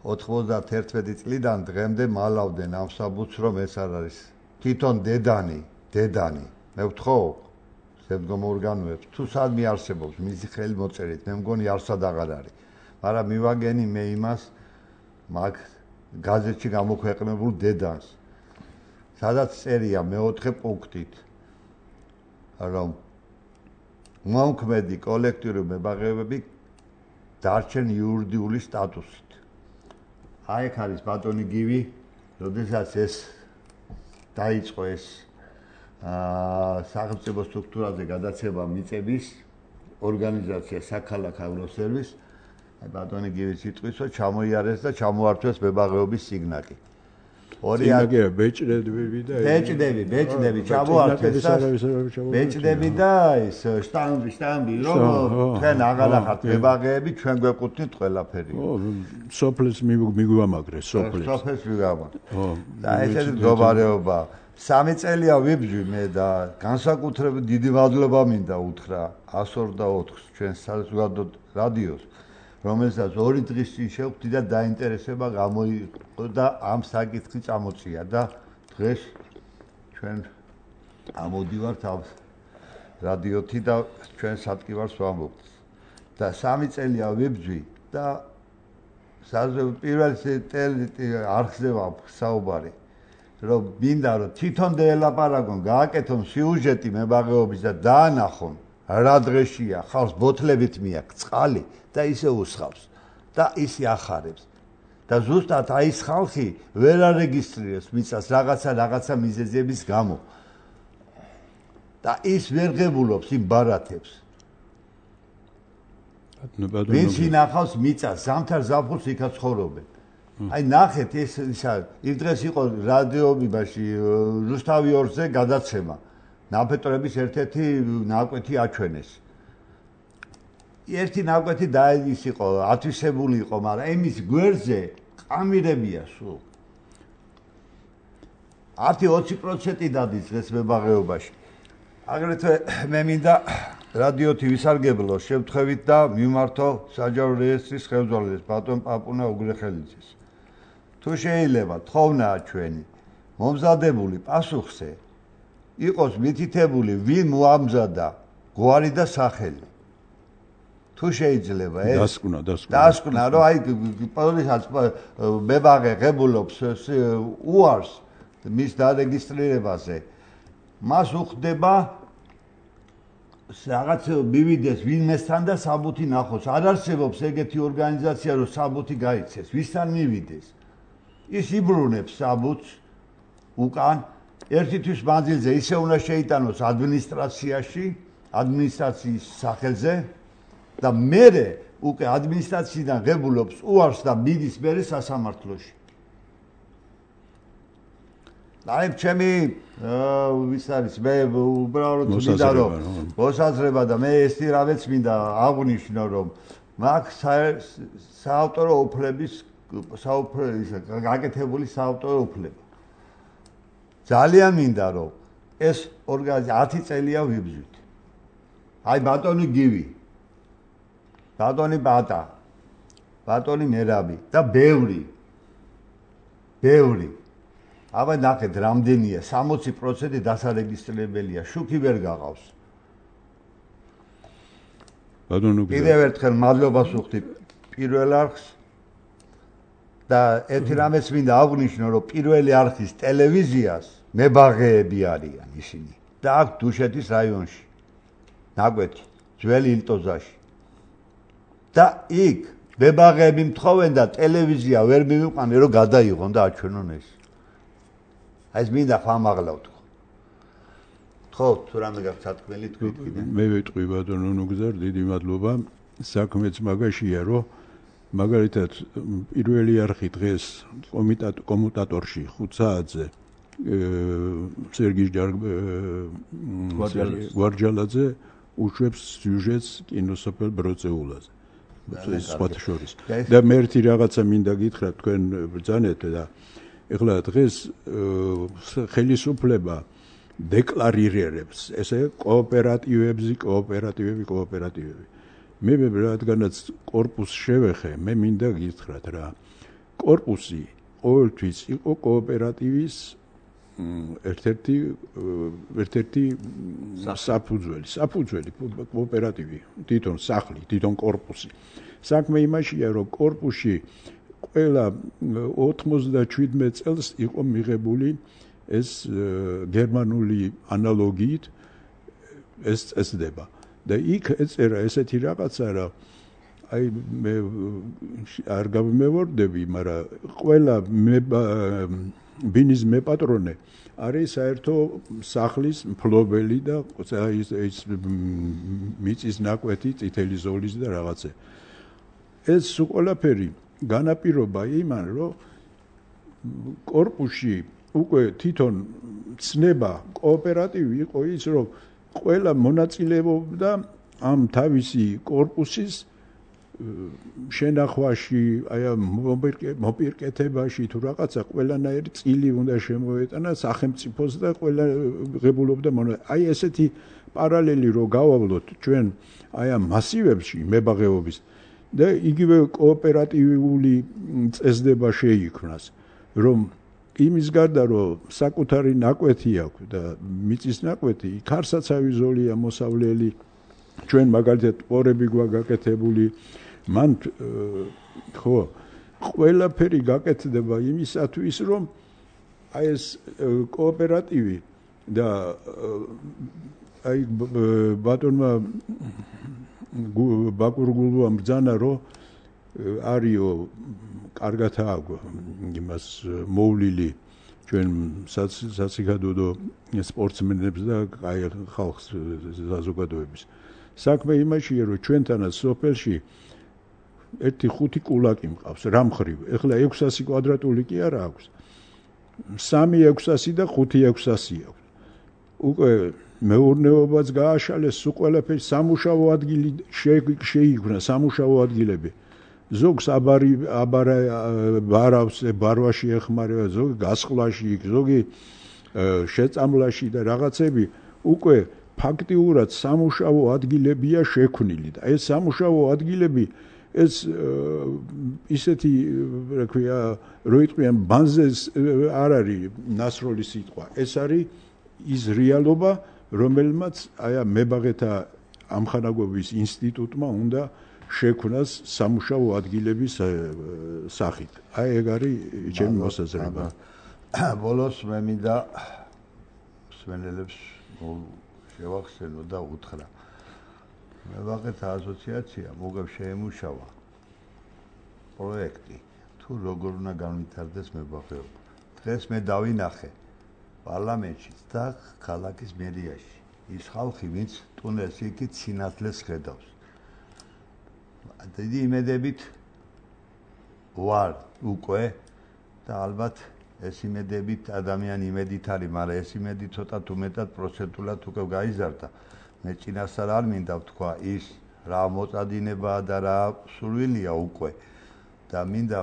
91 წლიდან დღემდე მალავდნენ ამ საბუთს, რომ ეს არ არის თვითონ დედანი, მე ვთხოვ შემდგომ ორგანოებს, თუ სადმე არსებობს მისი ხელი მოწერით, მე მგონი არსად აღარ არის. მაგრამ მივაგენი მე იმას მაგ გაზეთში გამოქვეყნებულ დედანს, სადაც წერია მე-4 პუნქტით, რომ მომქმედი კოლექტიური მებაღეობები დარჩენ იურიდიული სტატუსით. აი ეგ არის ბატონი გივი, როდესაც ეს დაიწყო ეს სახელმწიფო სტრუქტურაზე გადაცემა მიწების ორგანიზაცია საქალაქო ავროსერვის, აი ბატონი გივის სიტყვისო ჩამოიარეს და ჩამოართვეს მებაღეობის სიგნალი. ორია ბეჭდები და ბეჭდები ჩამოართვეს და ბეჭდები და ეს შტამბი რომ თქვენ აღარ ახართ მებაღეები, ჩვენ გვეკუთვნით ყველაფერი. სოფლის მიგვამაგრეს სოფლის მიგვამაგრეს. და ესეთი მდგომარეობა 3 წელია ვიბძვი მე და განსაკუთრებით დიდი მადლობა მინდა უთხრა 124-ს ჩვენ საზოგადო რადიოს, რომელსაც 2 დღის წინ შევხვდი და დაინტერესება გამოიყო და ამ საკითხი წამოწია და დღეს ჩვენ ამოდივართ ამ რადიოთი და ჩვენ სატკივარს ვამბობთ. და 3 წელია ვიბძვი და პირველ არხზე ვსაუბარი, რომ მინდა რომ თვითონ დაელაპარაკონ, გააკეთონ სიუჟეტი მებაღეობის და დაანახონ რა დღეშია, ხალხს ბოთლებით მიაქვს წყალი და ისე უსხავს და ისე ახარებს. და ზუსტად აი ეს ხალხი ვერ არეგისტრირებს მიწას რაღაცა მიზეზების გამო. და ის ვერ ღებულობს იმ ბარათებს. ვინც ინახავს მიწას, ზამთარ ზაფხულს იქაც ცხოვრობენ. აი ნახეთ ეს იმ დღეს იყო რადიოებაში რუსთავი 2-ზე გადაცემა. ნაფეტოების ერთ-ერთი ნაკვეთი აჩვენეს. ერთი ნაკვეთი ის იყო, ათვისებული იყო, მაგრამ იმის გვერდზე ყამირებია სულ. 10-20% დადის დღეს მებაღეობაში. აგრეთვე მე მინდა რადიოთი ვისარგებლო შემთხვევით და მიმართო საჯარო რეესტრის ხელმძღვანელს ბატონ პაპუნა უგრეხელიძეს. თუ შეიძლება თხოვნაა ჩვენი მომზადებული პასუხზე იყოს მითითებული ვინ მოამზადა გვარი და სახელი. თუ შეიძლება ეს დასკვნა რომ აი პოლიციის მებაღე ღებულობს უარს მის დარეგისტრირებაზე, მას უხდება რაღაც მივიდეს ვინმესთან და საბუთი ნახოს. არ არსებობს ეგეთი ორგანიზაცია, რომ საბუთი გაიცეს, ვისთან მივიდეს. ის იბრუნებს საბუთს უკან ერთი თვის მანძილზე ისე უნდა შეიტანოს ადმინისტრაციაში, ადმინისტრაციის სახელზე და მერე უკვე ადმინისტრაციიდან ღებულობს უარს და მიდის მერე სასამართლოში. აი ჩემი ვის არის მე უბრალოდ მინდა რომ მოსაზრება და მე ეს რამეც მინდა აღვნიშნო რომ მაგ საავტორო უფლების გაკეთებული საავტორო უფლება. ძალიან მინდა რომ ეს ორგანიზაცია 10 წელია ვიბრძვით. აი ბატონი გივი, ბატონი ბატა, ბატონი მერაბი და ბევრი. აბა ნახეთ რამდენია 60% დასარეგისტრირებელია, შუქი ვერ გაღავს. ბატონო კიდევ ერთხელ მადლობას ვუხდი პირველ არხს და ერთი რამეც მინდა აღვნიშნო რომ პირველი არხის ტელევიზიას მებაღეები არიან ისინი. და აქ დუშეთის რაიონში. ნაკვეთი, ძველი ილტოზაში. და იქ მებაღეები მთხოვენ და ტელევიზია ვერ მივიყვანე რომ გადაიღონ და აჩვენონ ეს. აი ეს მინდა ხმამაღლა ვთქვა. ხო, თუ რამე გაქვს სათქმელი თქვით კიდე. მე ვიტყვი ბატონო ნუგზარ, დიდი მადლობა. საქმეც მაგაშია, რომ მაგალითად პირველი არხი დღეს კომუტატორში 5 საათზე სერგი გვარჯალაძე უშვებს სიუჟეტს კინოსოფელ ბროწეულაზე. ეს სხვათა შორის. და მე ერთი რაღაცა მინდა გითხრათ თქვენ ბრძანეთ და ეხლა დღეს ხელისუფლება დეკლარირებს ესე კოოპერატივები. მე რადგანაც კორპუსს შევეხე, მე მინდა გითხრათ რა. კორპუსი ყოველთვის იყო კოოპერატივის ერთ-ერთი საფუძველი კოოპერატივი, თვითონ სახლი, თვითონ კორპუსი. საქმე იმაშია, რომ კორპუსში ყველა 97 წელს იყო მიღებული ეს გერმანული ანალოგიით ეს წესდება. და იქ ეწერა ესეთი რაღაცა, რა აი მე არ გამემორდები, მაგრამ ყველა ბინის მეპატრონე არის საერთო სახლის მფლობელი და ის მიწის ნაკვეთი, წითელი ზოლის და რაღაცე. ეს ყველაფერი განაპირობა იმან, რომ კორპუსში უკვე თვითონ ცნება კოოპერატივი იყო ის, რომ ყველა მონაწილეობდა ამ თავისი კორპუსის შენახვაში, აი მოპირკეთებაში თუ რაღაცა ყველანაირი წილი უნდა შემოეტანა სახელმწიფოს და ყველა ღებულობდა აი ესეთი პარალელი რო გავავლოთ ჩვენ აი ამ მასივებში მებაღეობის და იგივე კოოპერატიული წესდება შეიქმნას, რომ იმის გარდა რომ საკუთარი ნაკვეთი აქვს და მიწის ნაკვეთი, ქარსაცავი ზოლია მოსავლელი, ჩვენ მაგალითად პორები გვაგაკეთებული, მან ხო ყველაფერი გაკეთდება იმისათვის, რომ აი ეს კოოპერატივი და აი ბატონმა ბაკურგულუამ ბრძანა, რომ არიო კარგად აქვს იმას მოვლილი ჩვენ საზოგადოებრივ სპორტსმენებს და აი ხალხს საზოგადოების. საქმე იმაშია, რომ ჩვენთანაც სოფელში ერთი 5 კულაკი მყავს რამხრივ. ეხლა 600 კვადრატული კი არა აქვს. 3-600 და 5-600 აქვს. უკვე მეურნეობაც გააშალეს, ყველაფერი სამუშაო ადგილი შეიქმნა, სამუშაო ადგილები. ზოგს ბარავს ბარვაში ეხმარება, ზოგი გასხლაში, ზოგი შეწამლაში და რაღაცები უკვე ფაქტიურად სამუშაო ადგილებია შექმნილი და ეს სამუშაო ადგილები ეს ისეთი რა ქვია რო იტყვიან ბანზეს არ არის ნასროლი სიტყვა, ეს არის ის რეალობა, რომელმაც აი მებაღეთა ამხანაგობის ინსტიტუტმა უნდა შექმნას სამუშაო ადგილების სახით. აი ეგ არის ჩემი მოსაზრება. ბოლოს მე მინდა მსმენელებს შევახსენო და უთხრა. მებაღეთა ასოციაცია მოგებ შეემუშავა პროექტი, თუ როგორ უნდა განვითარდეს მებაღეობა. დღეს მე დავინახე პარლამენტში და ქალაქის მერიაში ის ხალხი, ვინც ტუნელს იქით სინათლეს ხედავს. დიდი იმედებით ვარ უკვე და ალბათ ეს იმედებით ადამიანი იმედით არის, მაგრამ ეს იმედი ცოტა თუ მეტად პროცენტულად უკვე გაიზარდა. მე წინასწარ არ მინდა ვთქვა ის რა მოწადინებაა და რა სურვილია უკვე და მინდა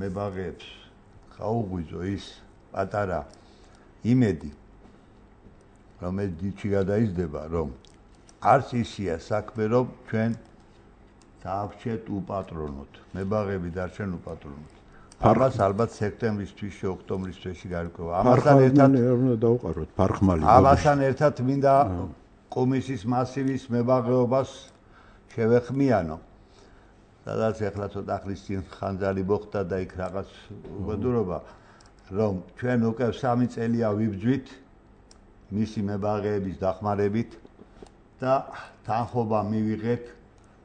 მებაღეებს ხაუღვიძო ის პატარა იმედი, რომელიც დიდში გადაიზრდება, რომ არც ისია საქმე, რომ ჩვენ დაავრჩეთ უპატრონოთ. მებაღები დარჩენ უპატრონოთ. ამას ალბათ სექტემბრის თვეში, ოქტომბრის თვეში გარკვევა. ამასთან ერთად უნდა დავყაროთ ფარხმალი. ამასთან ერთად მინდა კომისიის მასივის მებაღეობას შევეხმიანო. სადაც ეხლა ცოტა ხნის წინ ხანძარი მოხდა და იქ რაღაც უბედურობა, რომ ჩვენ უკვე 3 წელია ვიბძვით მისი მებაღეების დახმარებით და თანხმობა მივიღეთ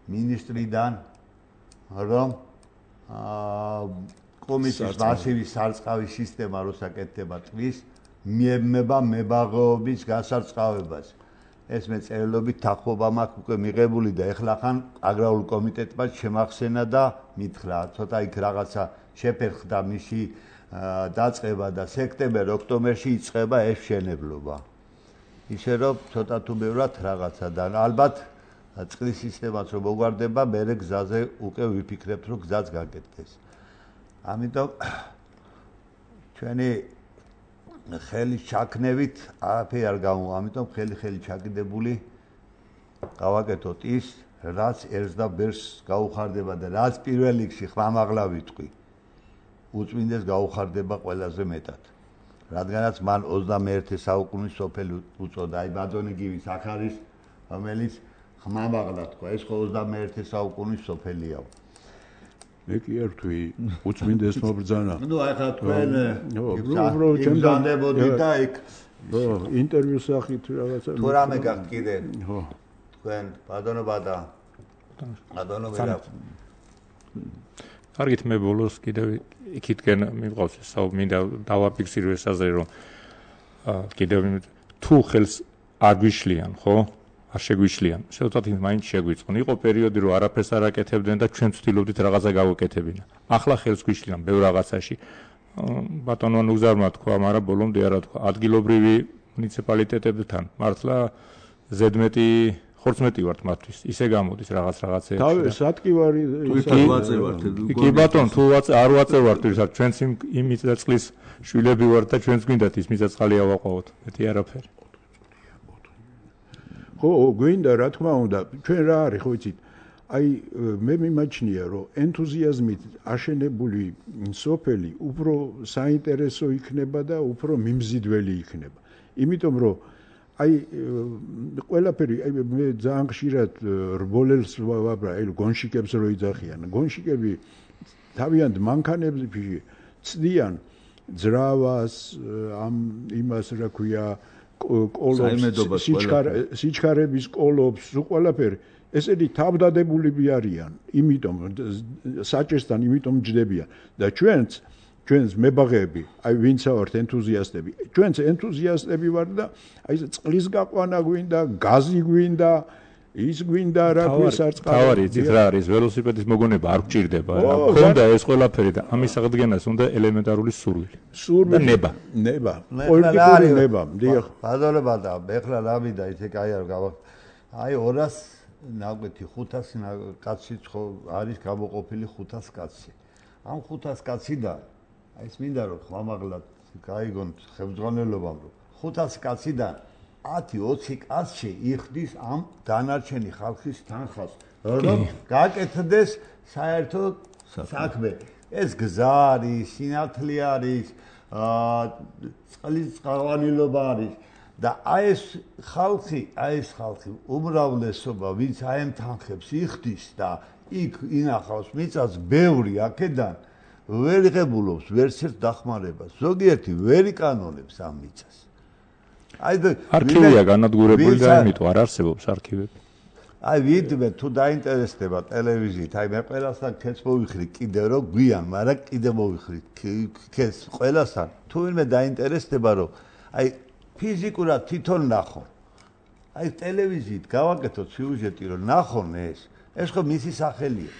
მინისტრიდან, რომ კომისიის მასივი სარწყავი სისტემა როსაკეთდება წლის მიემება მებაღეობის გასარწყავებას. ეს მე წერილობით თანხმობა მაქვს უკვე მიღებული და ეხლა ხან აგრარულ კომიტეტმა შემახსენა და მითხრა, ცოტა იქ რაღაცა შეფერხდა მისი დაწყება და სექტემბერ-ოქტომბერში იწყება ეს მშენებლობა. ისე რომ ცოტა თუ ბევრად რაღაცა და ალბათ წყლის სისტემაც რომ მოგვარდება, მერე გზაზე უკვე ვიფიქრებთ, რომ გზაც გაკეთდეს. ამიტომ ჩვენი ხელის ჩაქნევით არაფერი არ გამოვა, ამიტომ ხელი ჩაკიდებული გავაკეთოთ ის, რაც ერთს და ბერს გაუხარდება და რაც პირველ რიგში ხმამაღლა ვიტყვი. უწმინდეს გაუხარდება ყველაზე მეტად. რადგანაც მან 21 საუკუნის სოფელი უწოდა, აი ბატონიგივის აქ არის, რომელიც ხმამაღლა თქვა, ეს ხო 21 საუკუნის სოფელია. მე კი არ ვთვი, უწმინდეს მობრძანა. ნუ აი ხა თქვენ იმზადებოდი და იქ ინტერვიუს სახით რაღაცა თუ რამე გაქვთ კიდე. ხო. თქვენ ბატონობა და ბატონობა კარგით, მე ბოლოს კიდევ იქითკენ მივყავს ეს მინდა დავაფიქსირო ეს აზრი, რომ კიდევ თუ ხელს არ გვიშლიან, ხო? არ შეგვიშლიან. შეუძლოთ მაინც შეგვიწყონ. იყო პერიოდი, რომ არაფერს არ აკეთებდნენ და ჩვენ ვცდილობდით რაღაცა გავაკეთებინა. ახლა ხელს გვიშლიან ბევრ რაღაცაში. ბატონო ნუგზარმა თქვა, მაგრამ ბოლომდე არა თქვა. ადგილობრივი მუნიციპალიტეტებთან მართლა ზედმეტი ხორცმეტი ვართ მათთვის. ისე გამოდის რაღაცეებში. თავი სატკივარი კი ბატონო, თუ არ ვაწევართ ვისაც ჩვენც იმის და წყლის შვილები ვართ და ჩვენც გვინდათ ის მიწაწყალი ავაყავოთ. მეტი არაფერი. ხო, გვინდა რა თქმა უნდა, ჩვენ რა არის ხო იცით? აი მე მიმაჩნია, რომ ენთუზიაზმით აშენებული სოფელი უფრო საინტერესო იქნება და უფრო მიმზიდველი იქნება. იმიტომ რომ აი ყველაფერი, აი მე ძალიან ხშირად რბოლელს ვაბრა, აი გონშიკებს რო იძახიან. გონშიკები თავიანთ მანქანებში ცდიან ძრავას, ამ იმას რა ქვია კოლობს, სიჩქარების კოლობს, ყველაფერი. ესენი თავდადებულები არიან, იმიტომ საჭესთან იმიტომ ჯდებიან და ჩვენს მებაღეები, აი ვინცა ვართ ენთუზიასტები, ჩვენც ენთუზიასტები ვართ და აი წყლის გაყვანა გვინდა, გაზი გვინდა, ის გვინდა რა ქვესარწყავი. თავარი იცით რა არის, ველოსიპედის მოგონება არ გჭირდება. ხონდა ეს ყველაფერი და ამის აღდგენას უნდა ელემენტარული სურვილი. და ნება. პოლიტიკური ნება. დიახ. ბაზარება და ეხლა რა მინდა ისე კაი არ გავა. აი 200 ნაკვეთი 500 კაცი ხო არის გამოყოფილი 500 კაცი. ამ 500 კაციდან აი ეს მინდა რომ ხმამაღლად გაიგონ ხელმძღვანელობამ რომ 500 კაციდან 10-20 კაცი იხდის ამ დანარჩენი ხალხის თანხას, რომ გაკეთდეს საერთო საქმე. ეს გზა არის, სინათლე არის, წყლის წყალვანილობა არის და აი ეს ხალხი უმრავლესობა, ვინც აი ამ თანხებს იხდის და იქ ინახავს მიწას ბევრი აქედან ვერ იღებულობს ვერც ერთ დახმარებას. ზოგიერთი ვერ იკანონებს ამ მიწას. არქივია განადგურებული და იმიტომ არ არსებობს არქივები. აი ვიდმე თუ დაინტერესდება ტელევიზიით, აი მე ყველასთან ქეთს მოვიხრი კიდე რომ გვიან, მაგრამ კიდე მოვიხრი ქეთს ყველასთან. თუ ვინმე დაინტერესდება რომ აი ფიზიკურად თვითონ ნახონ. აი ტელევიზიით გავაკეთოთ სიუჟეტი რომ ნახონ ეს ხო მისი სახელია.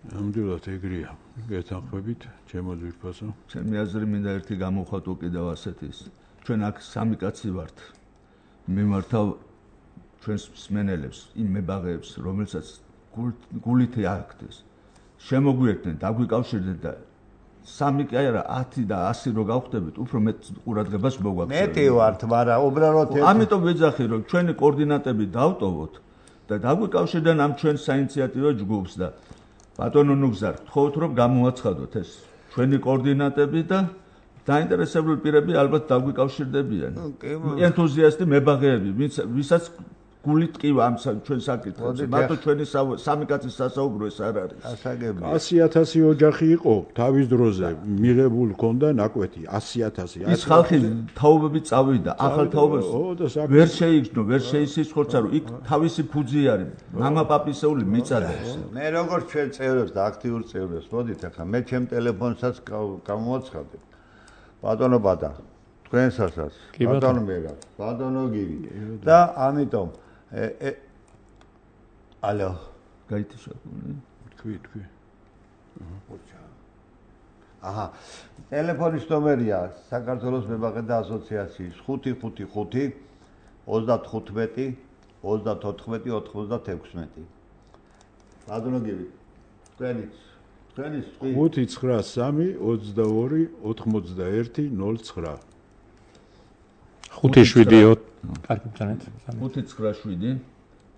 ნამდვილად ეგრეა. გეთანხმებით, ჩემო ძვირფასო. ჩემი აზრი მინდა ერთი გამოვხატო კიდევ ასეთის. ჩვენ აქ სამი კაცი ვართ. მე მართავ ჩვენს მსმენელებს, იმ მებაღეებს, რომელსაც გულით ააგდეს. შემოგვიერთდნენ, დაგვიკავშირდნენ და სამი კი არა 10 და 100 რო გავხდებით, უფრო მეტ ყურადღებას მოგაქვს. მეტი ვართ, მაგრამ უბრალოდ ამიტომ ვეძახი რომ ჩვენი კოორდინატები დავტოვოთ და დაგვიკავშირდნენ ამ ჩვენ საინიციატივო ჯგუფს და ბატონო ნუგზარ, გთხოვთ რომ გამოაცხადოთ ეს ჩვენი კოორდინატები და დაინტერესებული პირები ალბათ დაგვიკავშირდებიან. ენთუზიასტი მებაღეები, ვისაც გულით ყივა ამ ჩვენ საკითხებზე. მარტო ჩვენი სამი კაცის სასაუბრო ეს არ არის. ასაგებია. 100,000 ოჯახი იყო თავის დროზე მიღებულ ქონდა ნაკვეთი 100,000. ის ხალხი თაობებით წავიდა, ახალ თაობებს ვერ შეიგრძნო, ვერ შეისხორცა, რომ იქ თავისი ფუძი არის. მამა პაპისეული მიწადა ეს. მე როგორც ჩვენ წევრებს და აქტიურ წევრებს მოდით ახლა მე ჩემ ტელეფონსაც გამოვაცხადებ. ბატონო ბადა თქვენსასაც ბატონო მერა ბატონო გივი და ამიტომ ალო გაითიშაკუნე თქვი აჰა ტელეფონის ნომერია საქართველოს მებაღეთა ასოციაციის 555 35 34 96 ბატონო გივი თქვენიც 593 22 81 09 5-7 კარგი ბრძანეთ 597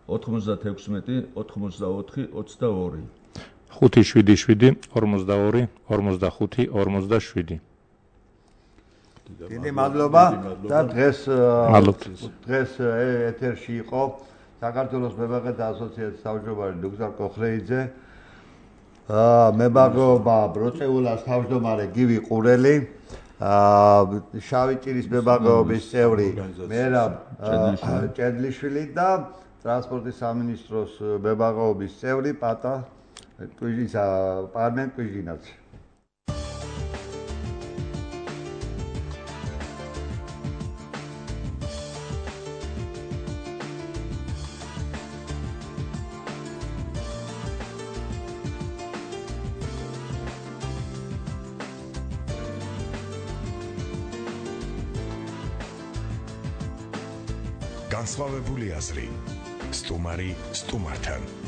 96 84 22 5-7 42 45 47 დიდი მადლობა და დღეს ეთერში იყო საქართველოს მებაღეთა ასოციაციის თავმჯდომარე დოქტორ კოხრეიძე მებაღეობა ბროწეულას თავმჯდომარე გივი ყურელი შავი ჭირის მებაღეობის წევრი მერაბ ჭედლიშვილი და ტრანსპორტის სამინისტროს მებაღეობის წევრი პატა პარმენ კვიჟინაც განსხვავებული აზრი სტუმარი სტუმართან